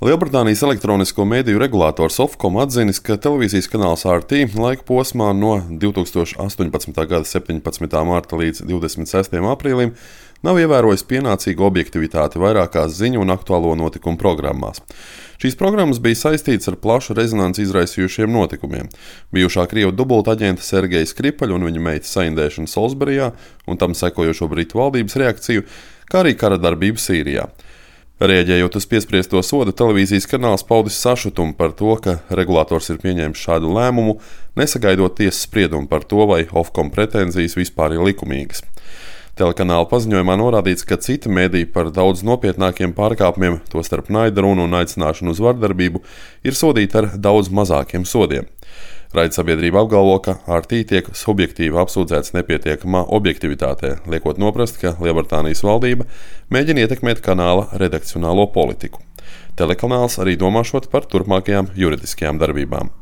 Lielbritānijas elektronisko mediju regulators Ofcom atzinis, ka televīzijas kanāls RT laika posmā no 2018. gada 17. marta līdz 26. aprīlim nav ievērojis pienācīgu objektivitāti vairākās ziņu un aktuālo notikumu programmās. Šīs programmas bija saistītas ar plašu rezonanci izraisījušiem notikumiem. Bijušā Krievu dubultaģenta Sergeja Skripaļa un viņa meitas saindēšana Solsberijā un tam sekojošo Britu valdības reakciju, kā arī kara darbību Sīrijā. Rēģējot uz piespriesto sodu, televīzijas kanāls paudis sašutumu par to, ka regulators ir pieņēmis šādu lēmumu, nesagaidot tiesas spriedumu par to, vai Ofcom pretenzijas vispār ir likumīgas. Telekanāla paziņojumā norādīts, ka citi mediji par daudz nopietnākiem pārkāpumiem, tostarp naida runu un aicināšanu uz vardarbību, ir sodīti ar daudz mazākiem sodiem. Raidsabiedrība apgalvo, ka RT tiek subjektīvi apsūdzēts nepietiekamā objektivitātē, liekot noprast, ka Lielbritānijas valdība mēģina ietekmēt kanāla redakcionālo politiku. Telekanāls arī domāšot par turpmākajām juridiskajām darbībām.